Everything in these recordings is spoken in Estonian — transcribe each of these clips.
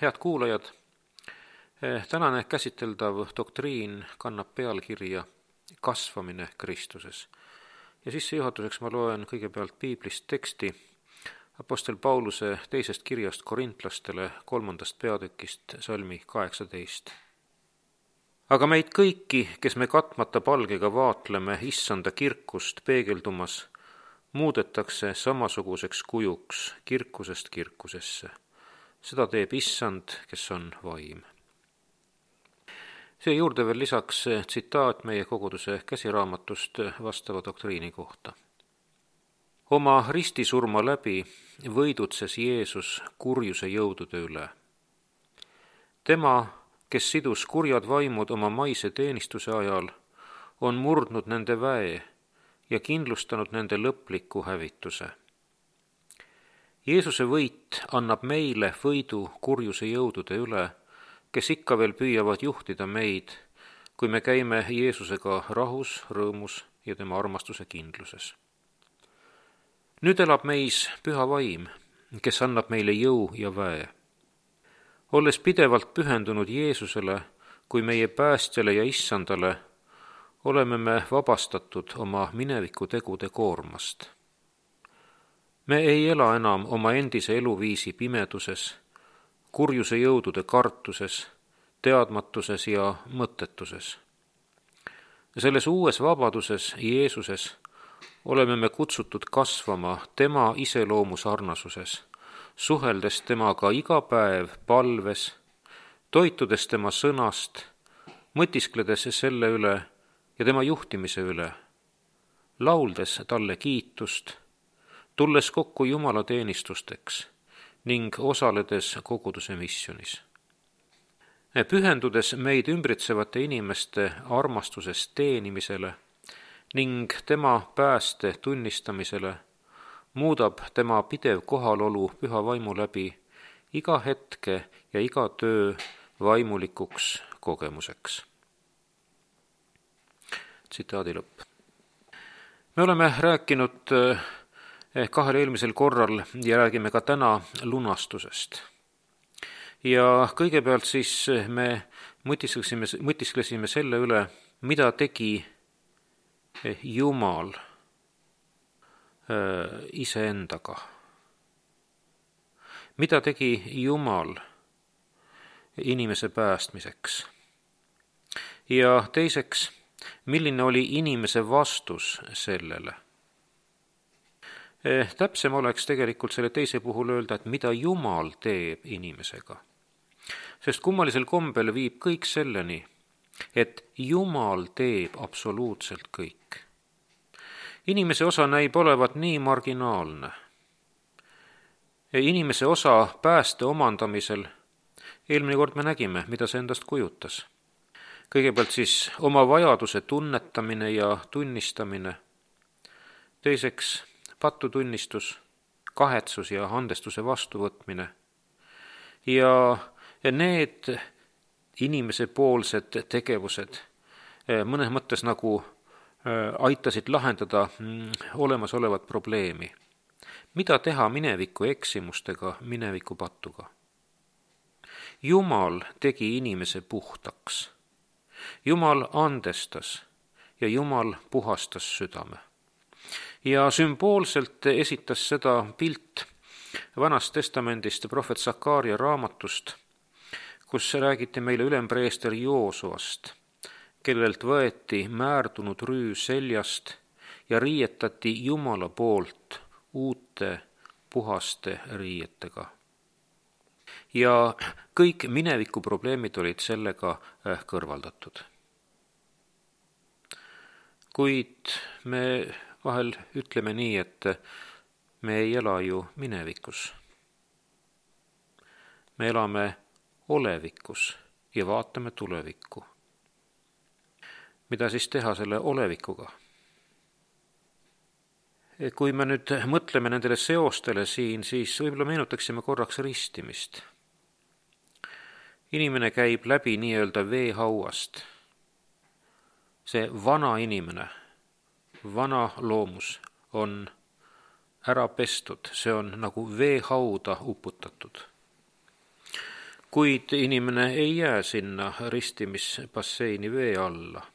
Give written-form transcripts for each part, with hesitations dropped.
Head kuulajad, tänane käsiteldav doktriin kannab pealkirja Kasvamine Kristuses. Ja sissejuhatuseks ma loen kõigepealt piiblist teksti Apostel Pauluse teisest kirjast korintlastele 3. peatükist salmi 18. Aga meid kõiki, kes me katmata palgega vaatleme issanda kirkust peegeldumas, muudetakse samasuguseks kujuks kirkusest kirkusesse. Seda teeb issand, kes on vaim. See juurde veel lisaks tsitaat meie koguduse käsiraamatust vastava doktriini kohta. Oma ristisurma läbi võidutses Jeesus kurjuse jõudude üle. Tema, kes sidus kurjad vaimud oma maise teenistuse ajal, on murdnud nende väe ja kindlustanud nende lõpliku hävituse. Jeesuse võit annab meile võidu kurjuse jõudude üle, kes ikka veel püüavad juhtida meid, kui me käime Jeesusega rahus, rõõmus ja tema armastuse kindluses. Nüüd elab meis püha vaim, kes annab meile jõu ja väe. Olles pidevalt pühendunud Jeesusele kui meie päästjale ja issandale, oleme me vabastatud oma mineviku tegude koormast. Me ei ela enam oma endise eluviisi pimeduses, kurjuse jõudude kartuses, teadmatuses ja mõttetuses. Selles uues vabaduses Jeesuses oleme me kutsutud kasvama tema iseloomu sarnasuses, suheldes temaga iga päev palves, toitudes tema sõnast, mõtiskledes selle üle ja tema juhtimise üle, lauldes talle kiitust, tulles kokku Jumala teenistusteks ning osaledes koguduse missionis. Pühendudes meid ümbritsevate inimeste armastusest teenimisele ning tema pääste tunnistamisele, muudab tema pidev kohalolu püha vaimu läbi iga hetke ja iga töö vaimulikuks kogemuseks. Tsitaadi lõpp. Me oleme rääkinud kahel eelmisel korral ja räägime ka täna lunastusest. Ja kõigepealt siis me mõtisklesime selle üle, mida tegi Jumal iseendaga. Mida tegi Jumal inimese päästmiseks? Ja teiseks, milline oli inimese vastus sellele? Täpsem oleks tegelikult selle teise puhul öelda, et mida Jumal teeb inimesega. Sest kummalisel kombel viib kõik selleni, et Jumal teeb absoluutselt kõik. Inimese osa näib olevat nii marginaalne. Inimese osa pääste omandamisel, eelmine kord me nägime, mida see endast kujutas. Kõigepealt siis oma vajaduse tunnetamine ja tunnistamine. Teiseks patutunnistus, kahetsus ja andestuse vastuvõtmine. Ja need inimese poolsed tegevused mõnes mõttes nagu aitasid lahendada olemasolevat probleemi. Mida teha mineviku eksimustega, mineviku patuga? Jumal tegi inimese puhtaks. Jumal andestas ja Jumal puhastas südame. Ja sümboolselt esitas seda pilt Vanast testamendist prohvet Sakaaria raamatust, kus räägiti meile ülempreester Joosuast, kellelt võeti määrdunud rüü seljast ja riietati Jumala poolt uute puhaste riietega. Ja kõik mineviku probleemid olid sellega kõrvaldatud. Kuid me vahel ütleme nii, et me ei ela ju minevikus. Me elame olevikus ja vaatame tulevikku. Mida siis teha selle olevikuga? Kui me nüüd mõtleme nendele seostele siin, siis võib-olla meenutaksime korraks ristimist. Inimene käib läbi nii-öelda veehauast. See vana inimene, vana loomus on ära pestud, see on nagu veehauda uputatud. kuid inimene ei jää sinna ristimisbasseini vee alla.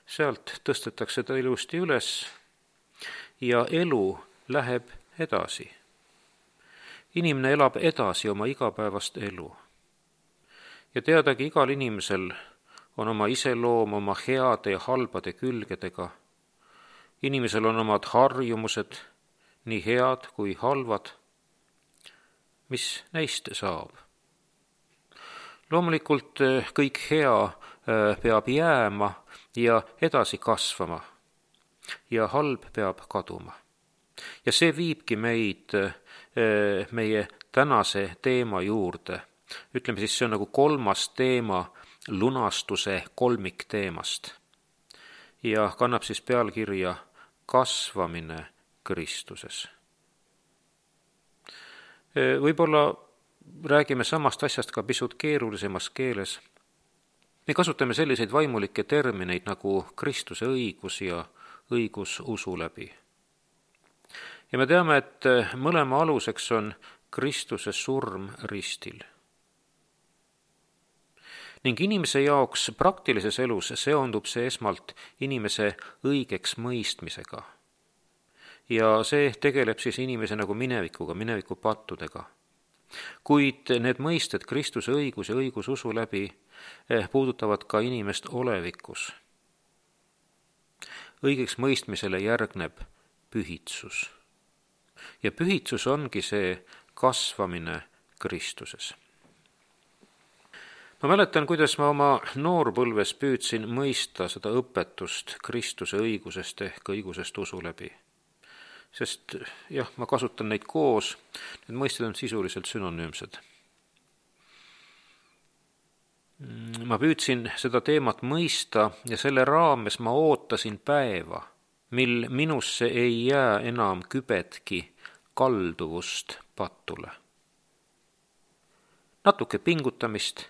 Sealt tõstetakse ta ilusti üles ja elu läheb edasi. Inimene elab edasi oma igapäevast elu. Ja teadagi, igal inimesel on oma iseloom oma heade ja halbade külgedega. Inimesel on omad harjumused, nii head kui halvad. Mis neist saab? Loomulikult kõik hea peab jääma ja edasi kasvama ja halb peab kaduma. Ja see viibki meid meie tänase teema juurde. Ütleme siis, see on nagu 3. teema lunastuse kolmikteemast ja kannab siis pealkirja kasvamine Kristuses. Võib-olla räägime samast asjast ka pisut keerulisemas keeles. Me kasutame selliseid vaimulikke termineid nagu Kristuse õigus ja õigus usu läbi. Ja me teame, et mõlema aluseks on Kristuse surm ristil. Ning inimese jaoks praktilises elus seondub see esmalt inimese õigeks mõistmisega. Ja see tegeleb siis inimese nagu minevikuga, minevikupattudega. Kuid need mõisted Kristuse õigus ja õigus usu läbi puudutavad ka inimest olevikus. Õigeks mõistmisele järgneb pühitsus. Ja pühitsus ongi see kasvamine Kristuses. Ma mäletan, kuidas ma oma noorpõlves püüdsin mõista seda õpetust Kristuse õigusest ehk õigusest usu läbi. Sest jah, ma kasutan neid koos, need mõisted on sisuliselt sünonüümsed. Ma püüdsin seda teemat mõista ja selle raames ma ootasin päeva, mil minusse ei jää enam kübetki kalduvust pattule. Natuke pingutamist,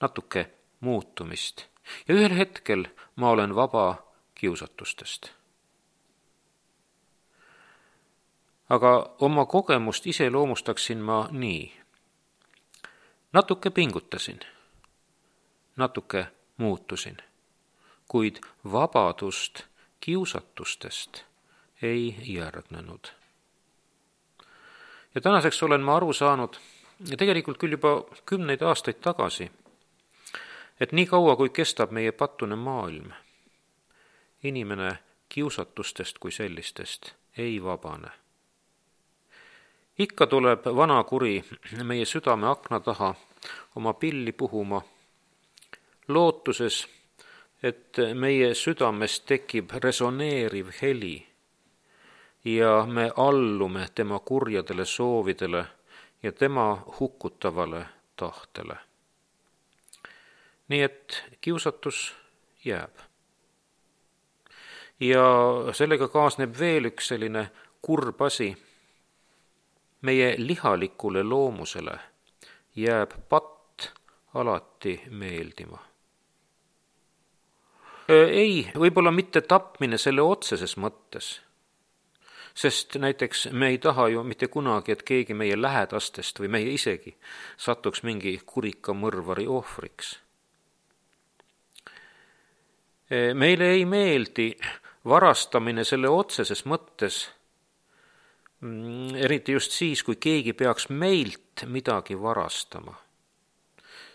natuke muutumist ja ühel hetkel ma olen vaba kiusatustest. Aga oma kogemust iseloomustaksin ma nii. Natuke pingutasin, natuke muutusin, kuid vabadust kiusatustest ei järgnenud. Ja tänaseks olen ma aru saanud, ja tegelikult küll juba 10 aastaid tagasi, et nii kaua, kui kestab meie pattune maailm, inimene kiusatustest kui sellistest ei vabane. Ikka tuleb vana kuri meie südame akna taha oma pilli puhuma, lootuses, et meie südamest tekib resoneeriv heli ja me allume tema kurjadele soovidele ja tema hukkutavale tahtele. Nii et kiusatus jääb. Ja sellega kaasneb veel üks selline kurb asi. Meie lihalikule loomusele jääb patt alati meeldima. Ei, võib-olla mitte tapmine selle otseses mõttes, sest näiteks me ei taha ju mitte kunagi, et keegi meie lähedastest või meie isegi satuks mingi kurika mõrvari ohvriks. Meile ei meeldi varastamine selle otseses mõttes, eriti just siis, kui keegi peaks meilt midagi varastama.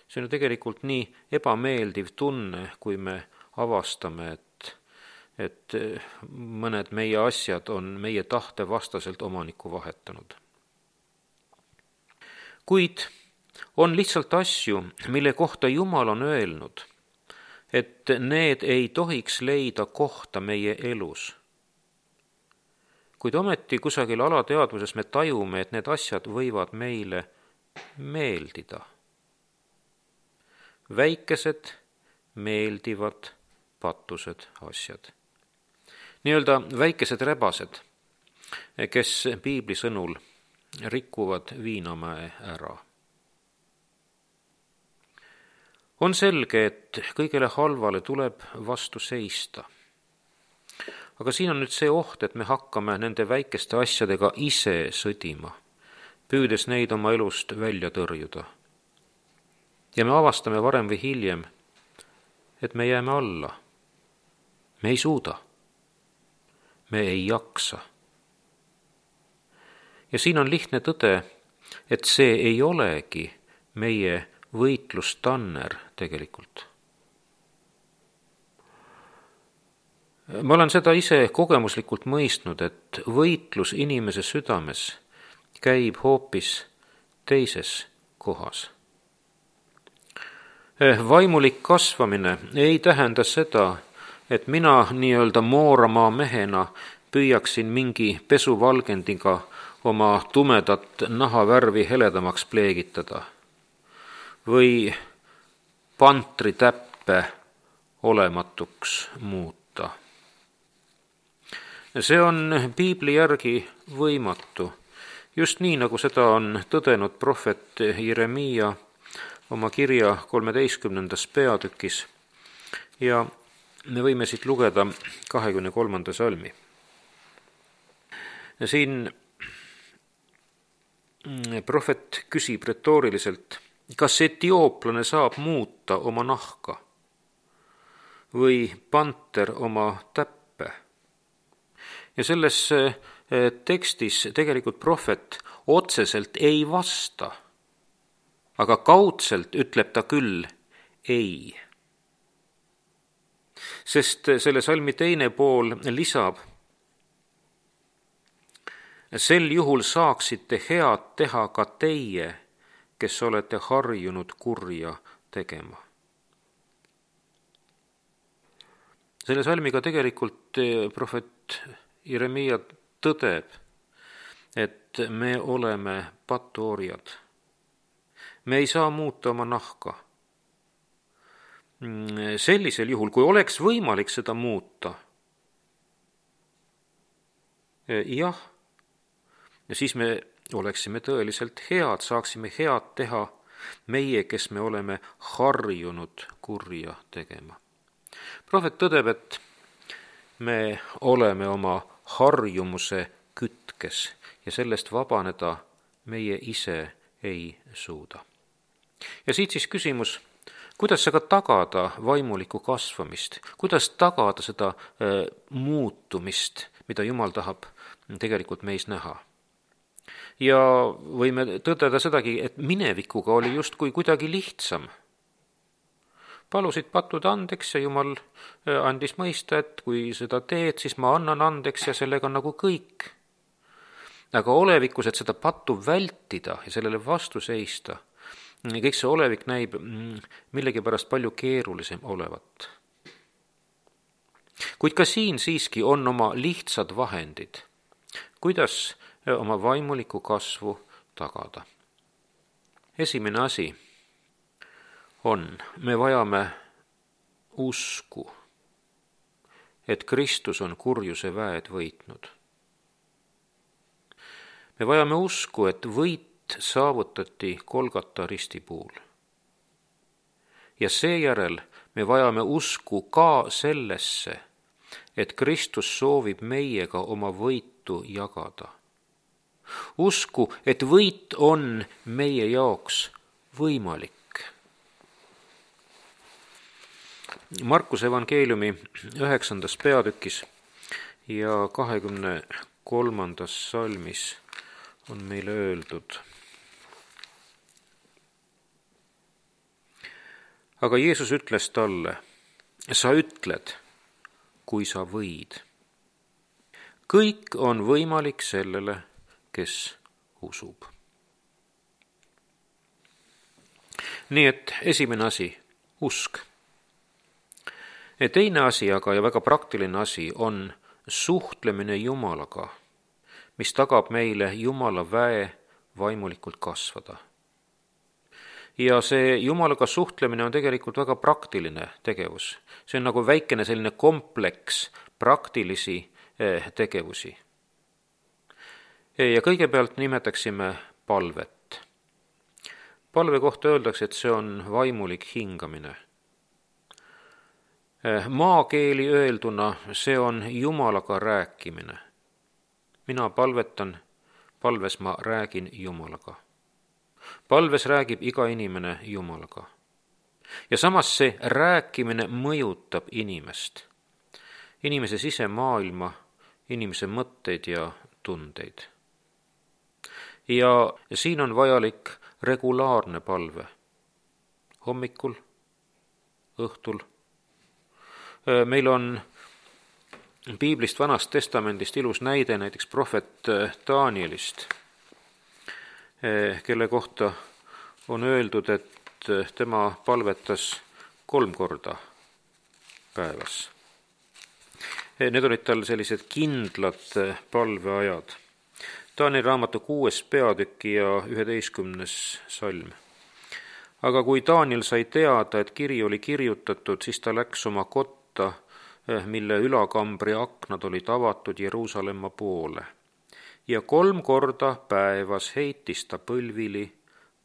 See on tegelikult nii ebameeldiv tunne, kui me avastame, et mõned meie asjad on meie tahte vastaselt omanikku vahetanud. Kuid on lihtsalt asju, mille kohta Jumal on öelnud, et need ei tohiks leida kohta meie elus. Kuid ometi kusagil alateadvuses me tajume, et need asjad võivad meile meeldida. Väikesed, meeldivad, patused asjad. Nii-öelda väikesed rebased, kes piibli sõnul rikuvad viinamäe ära. On selge, et kõigele halvale tuleb vastu seista. Aga siin on nüüd see oht, et me hakkame nende väikeste asjadega ise sõdima, püüdes neid oma elust välja tõrjuda. ja me avastame varem või hiljem, et me jääme alla. Me ei suuda. Me ei jaksa. Ja siin on lihtne tõde, et see ei olegi meie võitlustanner tegelikult. Ma olen seda ise kogemuslikult mõistnud, et võitlus inimese südames käib hoopis teises kohas. Vaimulik kasvamine ei tähenda seda, et mina nii-öelda Mooramaa mehena püüaksin mingi pesuvalgendiga oma tumedat nahavärvi heledamaks pleegitada või pantritäppe olematuks muuta. See on piibli järgi võimatu, just nii, nagu seda on tõdenud prohvet Jeremiia oma kirja 13. peatükis ja me võime siit lugeda 23. salmi. Siin prohvet küsib retooriliselt, kas etiooplane saab muuta oma nahka või panter oma täppe. Ja selles tekstis tegelikult prohvet otseselt ei vasta, aga kaudselt ütleb ta küll ei. Sest selle salmi teine pool lisab, sel juhul saaksite head teha ka teie, kes olete harjunud kurja tegema. Selle salmiga tegelikult prohvet Jeremiia tõdeb, et me oleme patuorjad. Me ei saa muuta oma nahka. Sellisel juhul, kui oleks võimalik seda muuta, jah, ja siis me oleksime tõeliselt head, saaksime head teha meie, kes me oleme harjunud kurja tegema. Prohvet tõdeb, et me oleme oma harjumuse kütkes ja sellest vabaneda meie ise ei suuda. Ja siit siis küsimus, kuidas aga tagada vaimulikku kasvamist, kuidas tagada seda muutumist, mida Jumal tahab tegelikult meis näha. Ja võime tõdeda sedagi, et minevikuga oli justkui kuidagi lihtsam. Palusid patud andeks ja Jumal andis mõista, et kui seda teed, siis ma annan andeks ja sellega nagu kõik. Aga olevikus, et seda pattu vältida ja sellele vastu seista, kõik see olevik näib millegipärast palju keerulisem olevat. Kuid ka siin siiski on oma lihtsad vahendid, kuidas oma vaimulikku kasvu tagada. Esimene asi on, me vajame usku, et Kristus on kurjuse väed võitnud. Me vajame usku, et võit saavutati Golgata risti puul. Ja seejärel me vajame usku ka sellesse, et Kristus soovib meiega oma võitu jagada. Usku, et võit on meie jaoks võimalik. Markuse evangeeliumi 9. peatükis ja 23. salmis on meile öeldud. Aga Jeesus ütles talle, sa ütled, kui sa võid. Kõik on võimalik sellele, kes usub. Nii et esimene asi, usk. Teine asi aga ja väga praktiline asi on suhtlemine Jumalaga, mis tagab meile Jumala väe vaimulikult kasvada. Ja see Jumalaga suhtlemine on tegelikult väga praktiline tegevus. See on nagu väikene selline kompleks praktilisi tegevusi. Ja kõigepealt nimetaksime palvet. Palve kohta öeldakse, et see on vaimulik hingamine. Maakeeli öelduna see on Jumalaga rääkimine. Mina palvetan, palves ma räägin Jumalaga. Palves räägib iga inimene Jumalaga. Ja samas see rääkimine mõjutab inimest, inimese sisemaailma, inimese mõtteid ja tundeid. Ja siin on vajalik regulaarne palve. Hommikul, õhtul. Meil on piiblist, Vanast Testamendist ilus näide näiteks prohvet Danielist, kelle kohta on öeldud, et tema palvetas 3 korda päevas. Need olid tal sellised kindlad palveajad. Danieli raamatu 6. peatüki ja 11. salm. Aga kui Daniel sai teada, et kiri oli kirjutatud, siis ta läks oma kotta, mille ülakambri aknad olid avatud Jeruusalemma poole. Ja 3 korda päevas heitis ta põlvili,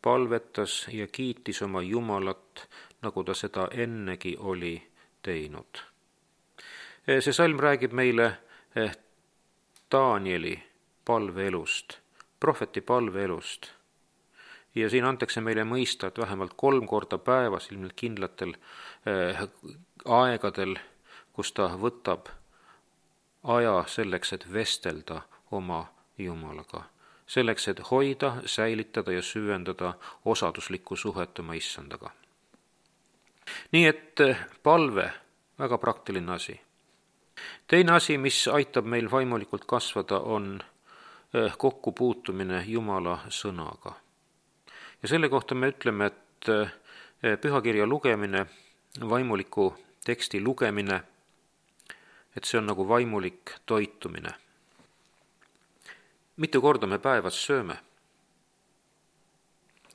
palvetas ja kiitis oma Jumalat, nagu ta seda ennegi oli teinud. See salm räägib meile Danieli palveelust, prohveti palveelust. Ja siin antakse meile mõista, et vähemalt 3 korda päevas, ilmselt kindlatel aegadel, kus ta võtab aja selleks, et vestelda oma Jumalaga. Selleks, et hoida, säilitada ja süvendada osaduslikku suhet oma issandaga. Nii et palve, väga praktiline asi. Teine asi, mis aitab meil vaimulikult kasvada, on kokkupuutumine Jumala sõnaga. Ja selle kohta me ütleme, et pühakirja lugemine, vaimuliku teksti lugemine, et see on nagu vaimulik toitumine. Mitu korda me päevas sööme?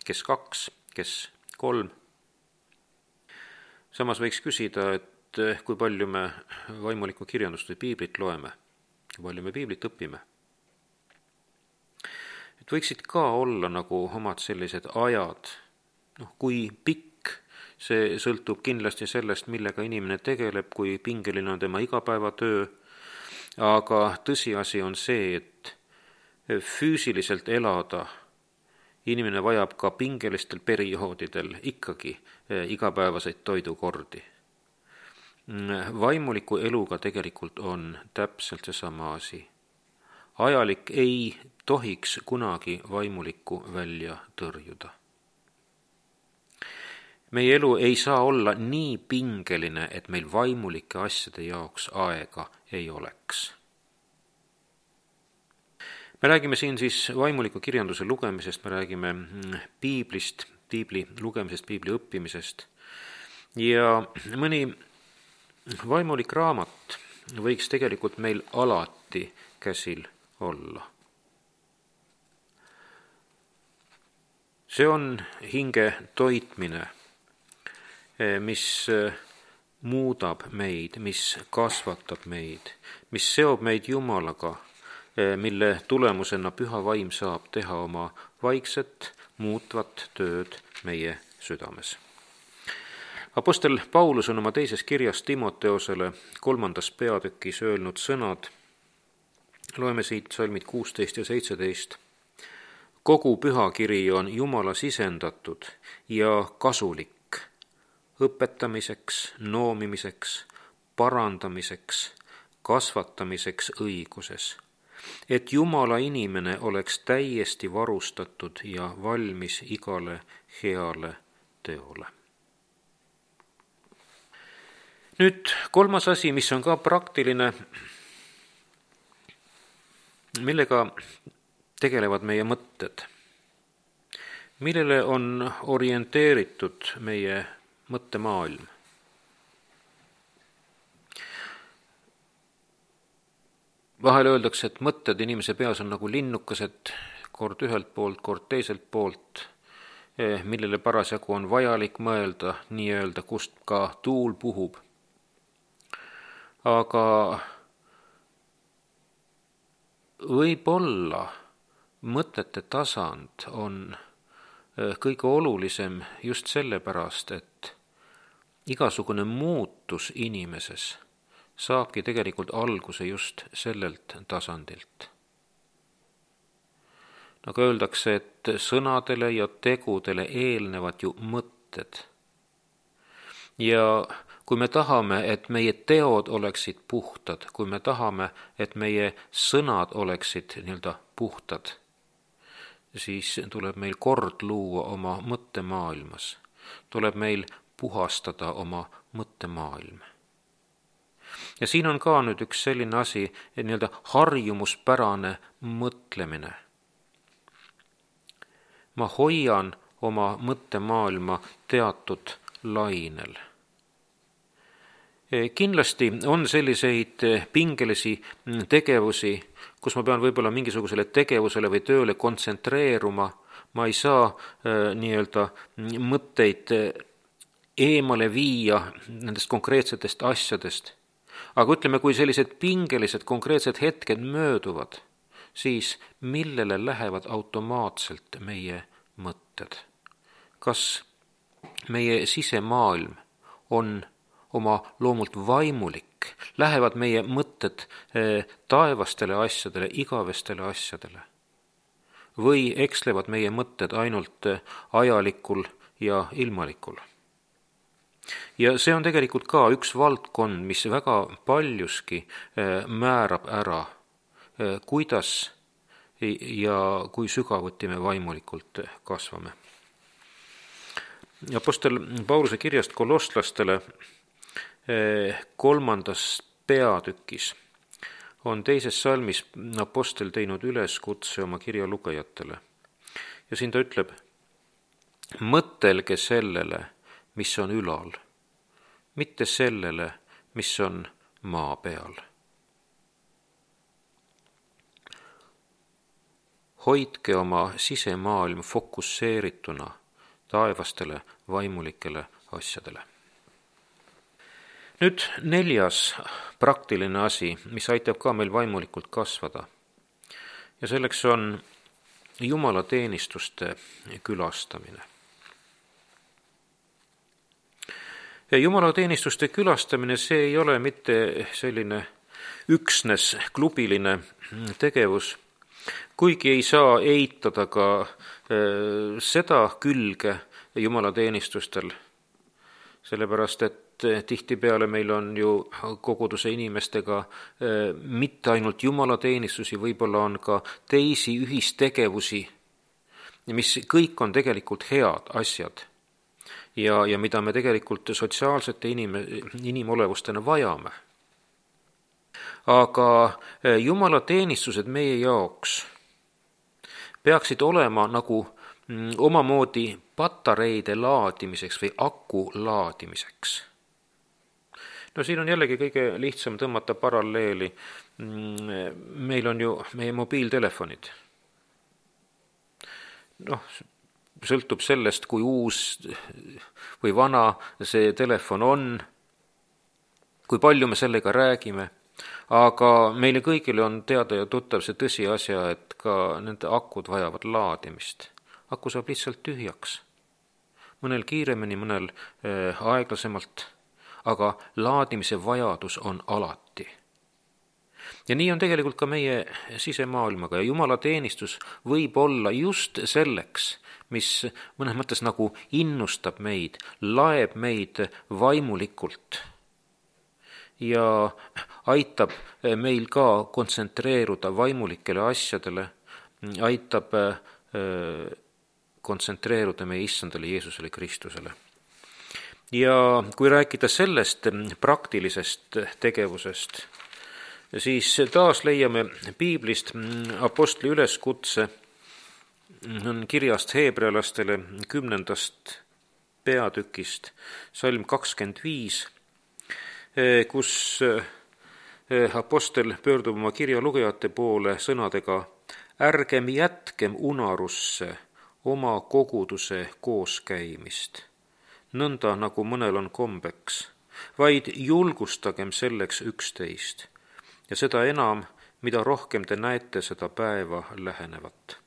Kes 2, kes 3? Samas võiks küsida, et kui palju me vaimulikku kirjandust või piiblit loeme, kui palju me piiblit õpime. Et võiksid ka olla nagu omad sellised ajad, kui pikk, see sõltub kindlasti sellest, millega inimene tegeleb, kui pingeline on tema igapäevatöö, aga tõsiasi on see, et füüsiliselt elada inimene vajab ka pingelistel perioodidel ikkagi igapäevaseid toidukordi. Vaimuliku eluga tegelikult on täpselt seesama asi. Ajalik ei tohiks kunagi vaimulikku välja tõrjuda. Meie elu ei saa olla nii pingeline, et meil vaimulike asjade jaoks aega ei oleks. Me räägime siin siis vaimuliku kirjanduse lugemisest, me räägime piiblist, piibli lugemisest, piibli õppimisest. Ja mõni vaimulik raamat võiks tegelikult meil alati käsil olla. See on hinge toitmine, mis muudab meid, mis kasvatab meid, mis seob meid Jumalaga, mille tulemusena püha vaim saab teha oma vaikset, muutvat tööd meie südames. Apostel Paulus on oma 2. kirjas Timoteosele 3. peatükis öelnud sõnad, loeme siit salmid 16 ja 17. Kogu pühakiri on Jumala sisendatud ja kasulik õpetamiseks, noomimiseks, parandamiseks, kasvatamiseks õiguses, et Jumala inimene oleks täiesti varustatud ja valmis igale heale teole. Nüüd 3. asi, mis on ka praktiline, millega tegelevad meie mõtted, millele on orienteeritud meie mõttemaailm. Vahel öeldakse, et mõtted inimese peas on nagu linnukesed, kord ühelt poolt, kord teiselt poolt, millele parasjagu on vajalik mõelda, nii-öelda, kust ka tuul puhub. Aga võib-olla mõtete tasand on kõige olulisem just sellepärast, et igasugune muutus inimeses saabki tegelikult alguse just sellelt tasandilt. Nagu öeldakse, et sõnadele ja tegudele eelnevad ju mõtted. Ja kui me tahame, et meie teod oleksid puhtad, kui me tahame, et meie sõnad oleksid puhtad, siis tuleb meil kord luua oma mõttemaailmas. Tuleb meil puhastada oma mõttemaailm. Ja siin on ka nüüd üks selline asi, harjumuspärane mõtlemine. Ma hoian oma mõttemaailma teatud lainel. Kindlasti on selliseid pingelisi tegevusi, kus ma pean võib-olla mingisugusele tegevusele või tööle kontsentreeruma. Ma ei saa mõtteid eemale viia nendest konkreetsetest asjadest. Aga ütleme, kui sellised pingelised konkreetsed hetked mööduvad, siis millele lähevad automaatselt meie mõtted? Kas meie sisemaailm on oma loomult vaimulik? Lähevad meie mõtted taevastele asjadele, igavestele asjadele? Või ekslevad meie mõtted ainult ajalikul ja ilmalikul? Ja see on tegelikult ka üks valdkond, mis väga paljuski määrab ära, kuidas ja kui sügavuti me vaimulikult kasvame. Apostel Pauluse kirjast kolosslastele 3. peatükis on 2. salmis apostel teinud üleskutse oma kirja lugejatele. Ja siin ta ütleb, mõtelge sellele, mis on ülal, mitte sellele, mis on maa peal. Hoidke oma sisemaailm fokusseerituna taevastele vaimulikele asjadele. Nüüd 4. praktiline asi, mis aitab ka meil vaimulikult kasvada. Ja selleks on jumalateenistuste külastamine. Ja jumalateenistuste külastamine, see ei ole mitte selline üksnes klubiline tegevus, kuigi ei saa eitada ka seda külge jumalateenistustel, sellepärast et tihtipeale meil on ju koguduse inimestega mitte ainult jumalateenistusi, võib-olla on ka teisi ühistegevusi, mis kõik on tegelikult head asjad ja mida me tegelikult sotsiaalsete inimolevustena vajame. Aga jumalateenistused meie jaoks peaksid olema nagu omamoodi patareide laadimiseks või aku laadimiseks. No siin on jällegi kõige lihtsam tõmmata paralleeli. Meil on ju meie mobiiltelefonid. Sõltub sellest, kui uus või vana see telefon on, kui palju me sellega räägime, aga meile kõigile on teada ja tuttav see tõsiasja, et ka nende akud vajavad laadimist. Aku saab lihtsalt tühjaks. Mõnel kiiremini, mõnel aeglasemalt, aga laadimise vajadus on alati. Ja nii on tegelikult ka meie sisemaailmaga ja jumalateenistus võib olla just selleks, mis mõnes mõttes nagu innustab meid, laeb meid vaimulikult ja aitab meil ka kontsentreeruda vaimulikele asjadele, aitab kontsentreeruda meie issandale Jeesusele Kristusele. Ja kui rääkida sellest praktilisest tegevusest, siis taas leiame piiblist apostli üleskutse, on kirjast heebrealastele 10. peatükist, salm 25, kus apostel pöördub oma kirja lugejate poole sõnadega: ärgem jätkem unarusse oma koguduse kooskäimist, nõnda nagu mõnel on kombeks, vaid julgustagem selleks üksteist ja seda enam, mida rohkem te näete seda päeva lähenevat.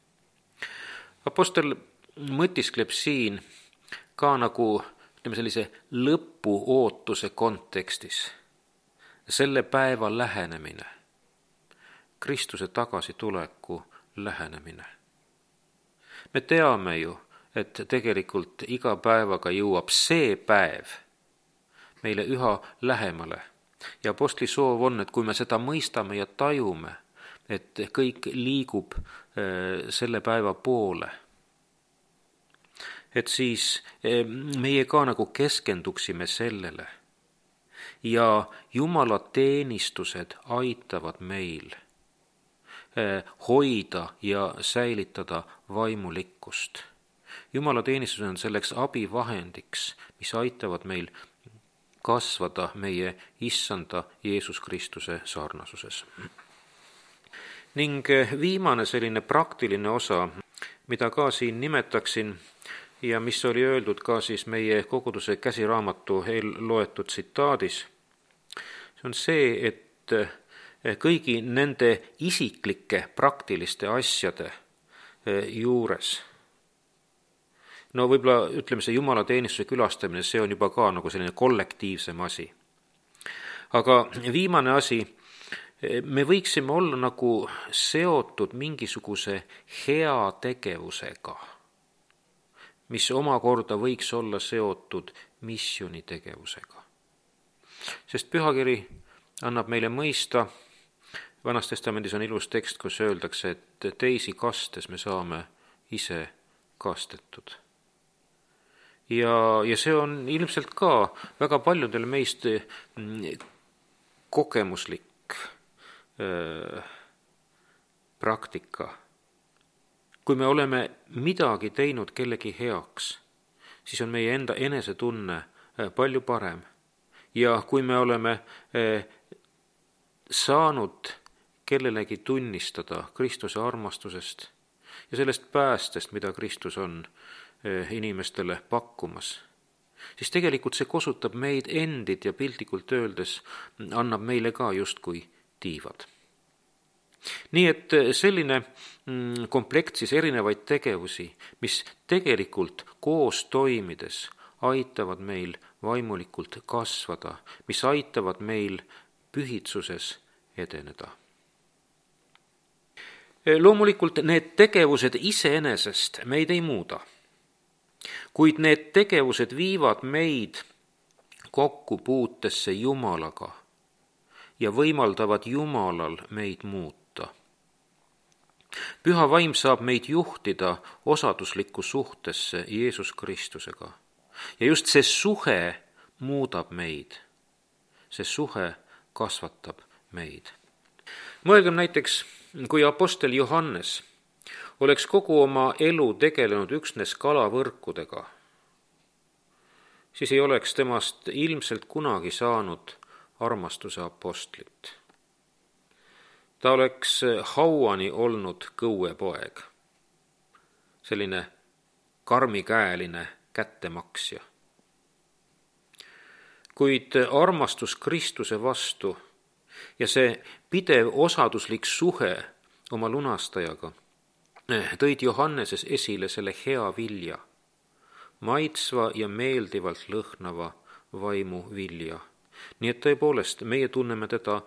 Apostel mõtiskleb siin ka nagu sellise lõpuootuse kontekstis. Selle päeva lähenemine, Kristuse tagasituleku lähenemine. Me teame ju, et tegelikult iga päevaga jõuab see päev, meile üha lähemale. Ja apostli soov on, et kui me seda mõistame ja tajume, et kõik liigub selle päeva poole, et siis meie ka nagu keskenduksime sellele ja Jumala teenistused aitavad meil hoida ja säilitada vaimulikkust. Jumala teenistus on selleks abivahendiks, mis aitavad meil kasvada meie Issanda Jeesus Kristuse sarnasuses. Ning viimane selline praktiline osa, mida ka siin nimetaksin ja mis oli öeldud ka siis meie koguduse käsiraamatu eelloetud tsitaadis, see on see, et kõigi nende isiklike praktiliste asjade juures, no võib-olla ütleme, see jumalateenistuse külastamine, see on juba ka nagu selline kollektiivsem asi. Aga viimane asi, me võiksime olla nagu seotud mingisuguse hea tegevusega, mis omakorda võiks olla seotud missioonitegevusega. Sest pühakiri annab meile mõista, Vanas Testamendis on ilus tekst, kus öeldakse, et teisi kastes me saame ise kastetud. Ja see on ilmselt ka väga paljudel meist kogemuslik praktika. Kui me oleme midagi teinud kellegi heaks, siis on meie enda enesetunne palju parem. Ja kui me oleme saanud kellelegi tunnistada Kristuse armastusest ja sellest päästest, mida Kristus on inimestele pakkumas, siis tegelikult see kosutab meid endid ja piltlikult öeldes annab meile ka justkui tiivad. Nii et selline komplekt siis erinevaid tegevusi, mis tegelikult koos toimides aitavad meil vaimulikult kasvada, mis aitavad meil pühitsuses edeneda. Loomulikult need tegevused iseenesest meid ei muuda, kuid need tegevused viivad meid kokkupuutesse Jumalaga ja võimaldavad Jumalal meid muuta. Püha vaim saab meid juhtida osaduslikku suhtesse Jeesus Kristusega. Ja just see suhe muudab meid. See suhe kasvatab meid. Mõelgem näiteks, kui apostel Johannes oleks kogu oma elu tegelenud üksnes kalavõrkudega, siis ei oleks temast ilmselt kunagi saanud armastuse apostlit. Ta oleks hauani olnud kõuepoeg, selline karmikäeline kättemaksja. Kuid armastus Kristuse vastu ja see pidev osaduslik suhe oma lunastajaga tõid Johanneses esile selle hea vilja, maitsva ja meeldivalt lõhnava vaimu vilja. Nii et tõepoolest, meie tunneme teda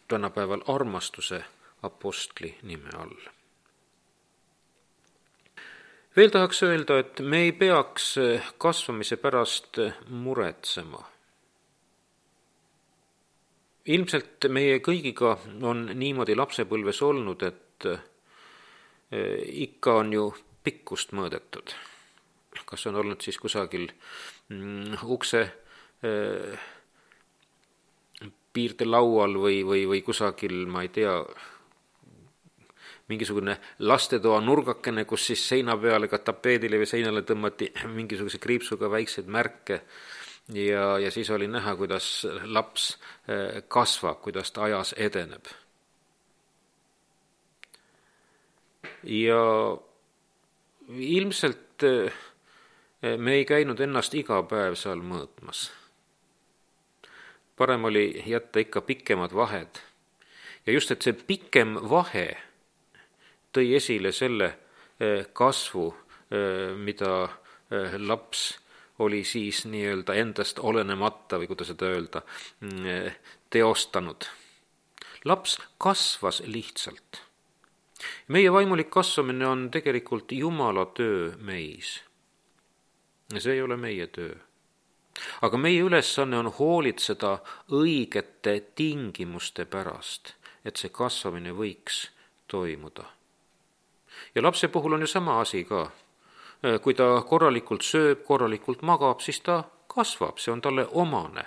tänapäeval armastuse apostli nime all. Veel tahaks öelda, et me ei peaks kasvamise pärast muretsema. Ilmselt meie kõigiga on niimoodi lapsepõlves olnud, et ikka on ju pikkust mõõdetud. Kas on olnud siis kusagil ukse piirdelaual või kusagil, ma ei tea, mingisugune lastetoa nurgakene, kus siis seina peale, ka tapeedile või seinale tõmmati mingisuguse kriipsuga väikseid märke ja siis oli näha, kuidas laps kasvab, kuidas ta ajas edeneb. Ja ilmselt me ei käinud ennast iga päev seal mõõtmas. Parem oli jätta ikka pikemad vahed. Ja just, et see pikem vahe tõi esile selle kasvu, mida laps oli siis nii-öelda endast olenemata või kuidas seda öelda, teostanud. Laps kasvas lihtsalt. Meie vaimulik kasvamine on tegelikult Jumala töö meis. Ja see ei ole meie töö. aga meie ülesanne on hoolitseda õigete tingimuste pärast, et see kasvamine võiks toimuda. Ja lapse puhul on ju sama asi ka. Kui ta korralikult sööb, korralikult magab, siis ta kasvab, see on talle omane.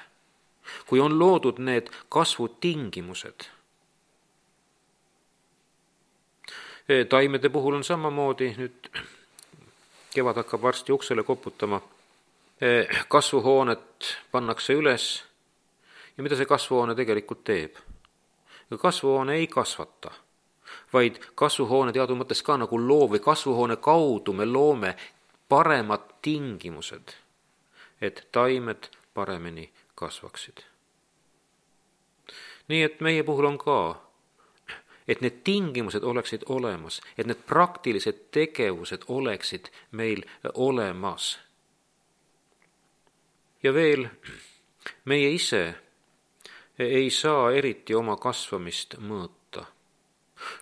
Kui on loodud need kasvutingimused. Taimede puhul on samamoodi, nüüd kevad hakkab varsti uksele koputama, kasvuhoonet pannakse üles ja mida see kasvuhoone tegelikult teeb? Kasvuhoone ei kasvata, vaid kasvuhoone teadu mõttes ka nagu loov või kasvuhoone kaudu me loome paremad tingimused, et taimed paremini kasvaksid. Nii et meie puhul on ka, et need tingimused oleksid olemas, et need praktilised tegevused oleksid meil olemas. Ja veel, meie ise ei saa eriti oma kasvamist mõõta.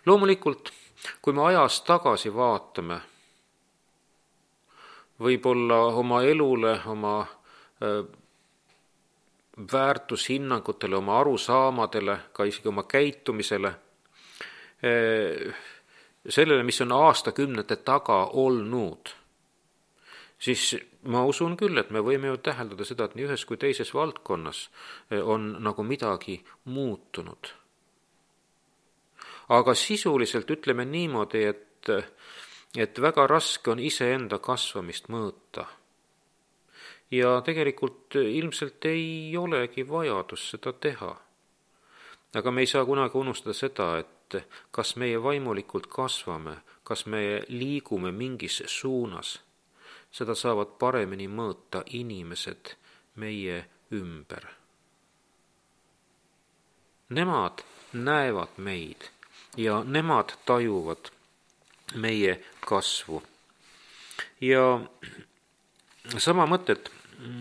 Loomulikult, kui me ajas tagasi vaatame, võib-olla oma elule, oma väärtushinnangutele, oma arusaamadele, ka isegi oma käitumisele, sellele, mis on aastakümnete taga olnud, siis ma usun küll, et me võime ju täheldada seda, et nii ühes kui teises valdkonnas on nagu midagi muutunud. Aga sisuliselt ütleme niimoodi, et väga raske on iseenda kasvamist mõõta. Ja tegelikult ilmselt ei olegi vajadus seda teha. Aga me ei saa kunagi unustada seda, et kas meie vaimulikult kasvame, kas me liigume mingis suunas, seda saavad paremini mõõta inimesed meie ümber. Nemad näevad meid ja nemad tajuvad meie kasvu. Ja sama mõtet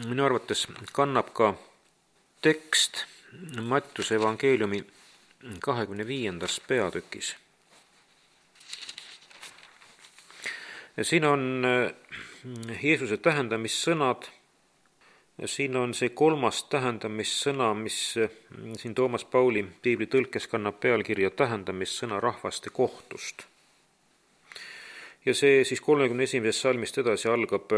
minu arvates kannab ka tekst Mattiuse evangeeliumi 25. peatükis. Siin on Jeesuse tähendamissõnad, siin on see 3. tähendamissõna, mis siin Toomas Pauli piibli tõlkes kannab pealkirja tähendamissõna rahvaste kohtust. Ja see siis 31. salmist edasi algab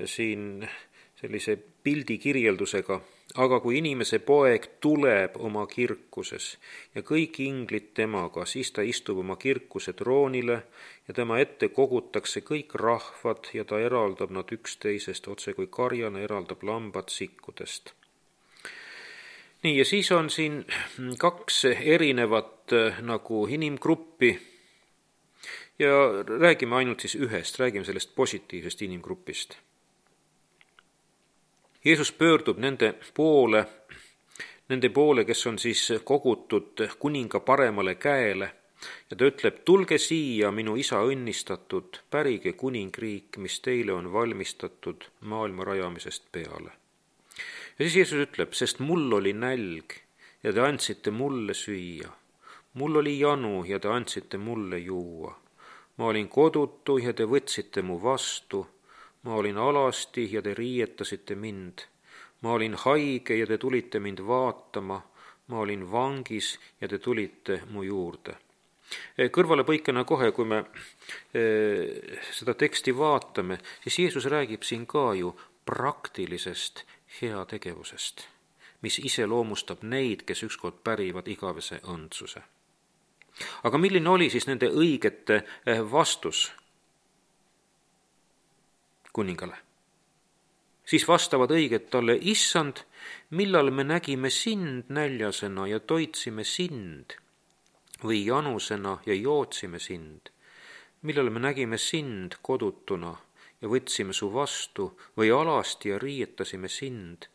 siin sellise pildi kirjeldusega, aga kui inimese poeg tuleb oma kirkuses ja kõik inglid temaga, siis ta istub oma kirkuse troonile ja tema ette kogutakse kõik rahvad ja ta eraldab nad üksteisest, otse kui karjane eraldab lambad sikkudest. Nii, ja siis on siin 2 erinevat nagu inimgruppi ja räägime ainult siis ühest, räägime sellest positiivsest inimgrupist. Jeesus pöördub nende poole, kes on siis kogutud kuninga paremale käele ja ta ütleb, tulge siia, minu isa õnnistatud, pärige kuningriik, mis teile on valmistatud maailma rajamisest peale. Ja siis Jeesus ütleb, sest mul oli nälg ja te andsite mulle süüa, mul oli janu ja te andsite mulle juua, ma olin kodutu ja te võtsite mu vastu, ma olin alasti ja te riietasite mind. Ma olin haige ja te tulite mind vaatama. Ma olin vangis ja te tulite mu juurde. Kõrvalepõikena kohe, kui me seda teksti vaatame, siis Jeesus räägib siin ka ju praktilisest heategevusest, mis iseloomustab neid, kes ükskord pärivad igavese õndsuse. Aga milline oli siis nende õigete vastus kuningale? Siis vastavad õiged talle, issand, millal me nägime sind näljasena ja toitsime sind või janusena ja jootsime sind, millal me nägime sind kodutuna ja võtsime su vastu või alasti ja riietasime sind,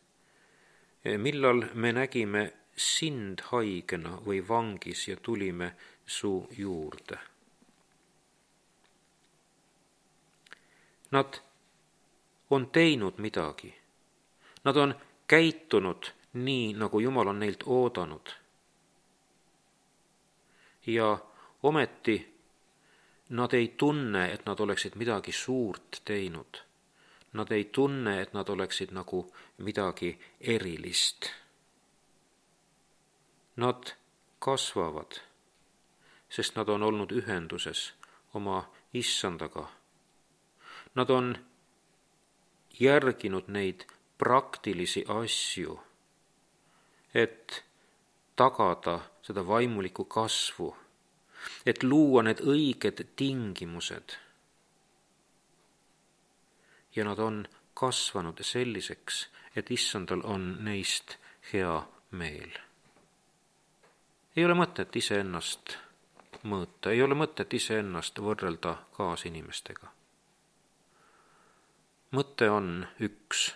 millal me nägime sind haigena või vangis ja tulime su juurde. Nad on teinud midagi. Nad on käitunud nii, nagu Jumal on neilt oodanud. Ja ometi nad ei tunne, et nad oleksid midagi suurt teinud. Nad ei tunne, et nad oleksid nagu midagi erilist. Nad kasvavad, sest nad on olnud ühenduses oma Issandaga. Nad on järginud neid praktilisi asju, et tagada seda vaimulikku kasvu, et luua need õiged tingimused. Ja nad on kasvanud selliseks, et Issandal on neist hea meel. Ei ole mõtet iseennast mõõta, ei ole mõtet iseennast võrrelda kaasinimestega. Mõte on üks: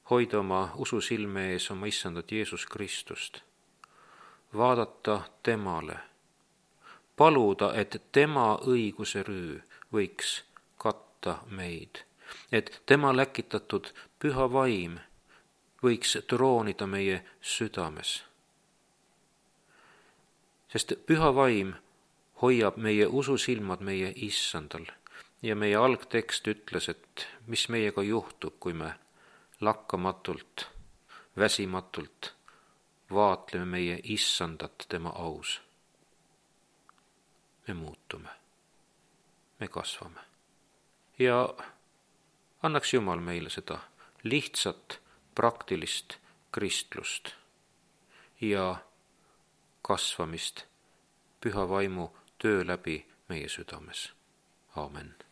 hoida oma usu silme ees oma Issandat Jeesus Kristust, vaadata temale, paluda, et tema õiguse rüü võiks katta meid, et tema läkitatud püha vaim võiks troonida meie südames. Sest püha vaim hoiab meie ususilmad meie Issandal ja meie algtekst ütles, et mis meiega juhtub, kui me lakkamatult, väsimatult vaatleme meie Issandat tema aus. Me muutume, me kasvame ja annaks Jumal meile seda lihtsat, praktilist kristlust ja kasvamist püha vaimu töö läbi meie südames. Aamen.